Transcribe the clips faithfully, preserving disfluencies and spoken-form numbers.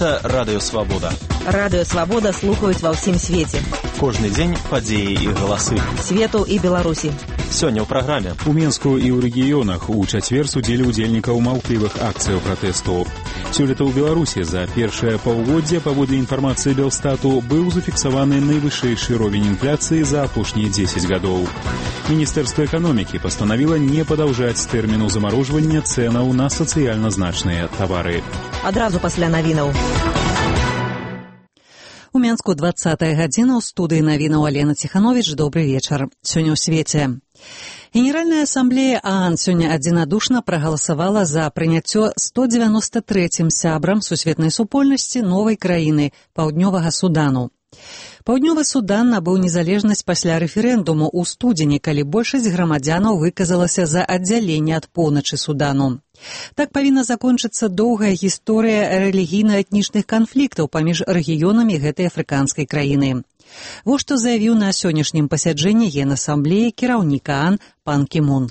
Гэта Радыё Свабода. Радыё Свабода слухаюць ва ўсім свеце. Кожны дзень падзеі і галасы. Свету і Беларусі. Сёння ў праграме. У Менску і ў рэгіёнах у чацвер судзілі ўдзельнікаў маўклівых акцыяў пратэсту. Сёлета ў Беларусі за першае паўгоддзе, паводле інфармацыі Белстату, быў зафіксаваны найвышэйшы ровень інфляцыі за апошнія дзесяць гадоў. Міністэрства эканомікі пастанавіла не падаўжаць тэрміну замарожвання цэнаў на сацыяльна значныя тавары. Адразу пасля навінаў. У Менску двадцатая гадзіна, ў студыі навінаў Алена Ціхановіч. Добры вечар. Сёння ў свеце. Генеральная асамблея ААН сёння адзінадушна прагаласавала за прыняццё сто дзевяноста трэцім сябрам сусветнай супольнасці новай краіны – Паўднёвага Судану. Паўднёвы Судан набыў незалежнасць пасля рэферэндуму ў студзені, калі большасць грамадзянаў выказалася за аддзяленне ад поўначы Судану. Так павінна закончыцца доўгая гісторыя рэлігійна-этнічных канфліктаў паміж рэгіёнамі гэтай афрыканскай краіны. Вось што заявіў на сённяшнім пасяджэнні Генасамблеі кіраўнік ААН пан Кі Мун.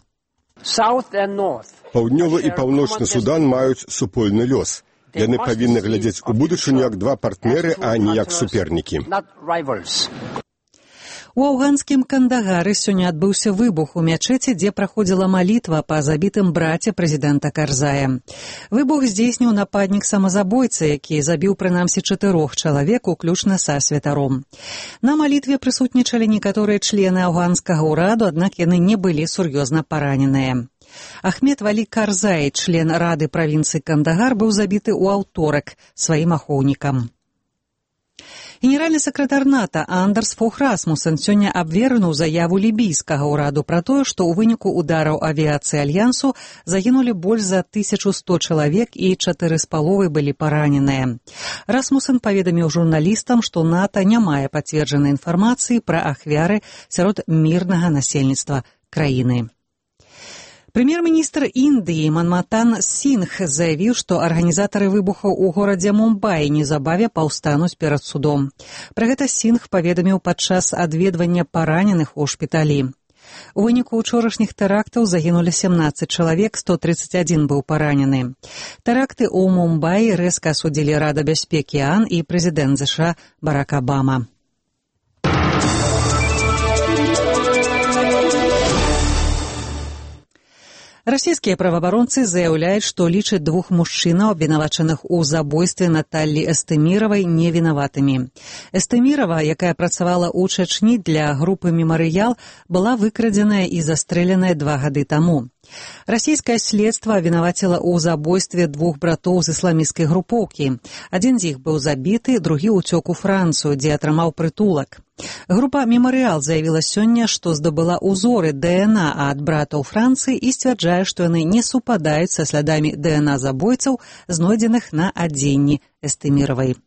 Паўднёвы і паўночны Судан маюць супольны лёс. Яны павінны глядзець у будучыню як два партнеры, а не як супернікі. У афганскім Кандагары сёння адбыўся выбух у мячэці, дзе праходзіла малітва па забітым браце прэзідэнта Карзая. Выбух здзейсніў нападнік-самазабойца, які забіў прынамсі чатырох чалавек, уключна са святаром. На малітве прысутнічалі некаторыя члены афганскага ўраду, аднак яны не былі сур'ёзна параненыя. Ахмед Валі Карзай, член рады правінцыі Кандагар, быў забіты ў аўторак сваім ахоўнікам. Генеральны сакратар НАТО Андерс Фох Расмусен сёння абвергнуў заяву лібійскага ўраду пра тое, што ў выніку удараў авіяцыі Альянсу загінулі больш за тысячу сто чалавек і чатыры з паловай былі параненыя. Расмусен паведаміў журналістам, што НАТО не мае пацверджанай інфармацыі пра ахвяры сярод мірнага насельніцтва краіны. Прэм'ер-міністр Індыі Манматан Сінгх заявіў, што арганізатары выбухаў у горадзе Мумбаі неўзабаве паўстануць перад судом. Пра гэта Сінгх паведаміў падчас адведвання параненых у шпіталі. У выніку ўчорашніх тэрактаў загінулі сямнаццаць чалавек, сто трыццаць адзін быў паранены. Тэракты ў Мумбаі рэзка асудзілі Рада бяспекі ААН і прэзідэнт ЗША Барак Абама. Расійскія праваабаронцы заяўляюць, што лічаць двух мужчынаў, абвінавачаных у забойстве Наталлі Эстэміравай, невінаватымі. Эстэмірава, якая працавала ў Чачні для групы «Мемарыял», была выкрадзеная і застрэленая два гады таму. Расійскае следства абвінаваціла ў забойстве двух братоў з ісламісцкай групоўкі. Адзін з іх быў забіты, другі ўцёк у Францыю, дзе атрымаў прытулак. Група «Мемарыял» заявіла сёння, што здабыла ўзоры ДНА ад братаў Францыі і сцвярджае, што яны не супадаюць са слядамі ДНА забойцаў, знойдзеных на адзенні Эстэміравай.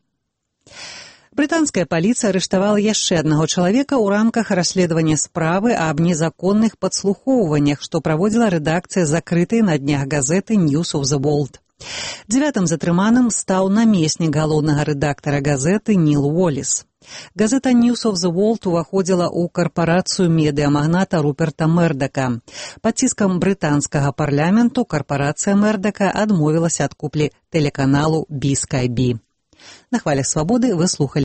Брытанская паліцыя арыштавала яшчэ аднаго чалавека ў рамках расследавання справы аб незаконных падслухоўваннях, што праводзіла рэдакцыя закрытай на днях газеты «News of the World». Дзявятым затрыманым стаў намеснік галоўнага рэдактара газеты Ніл Уоллес. Газета «News of the World» уваходзіла ў карпарацыю медыамагната Руперта Мердака. Пад ціскам брытанскага парламенту карпарацыя Мердака адмовілася ад куплі тэлеканалу би скай би. На хвалях свабоды вы слухалі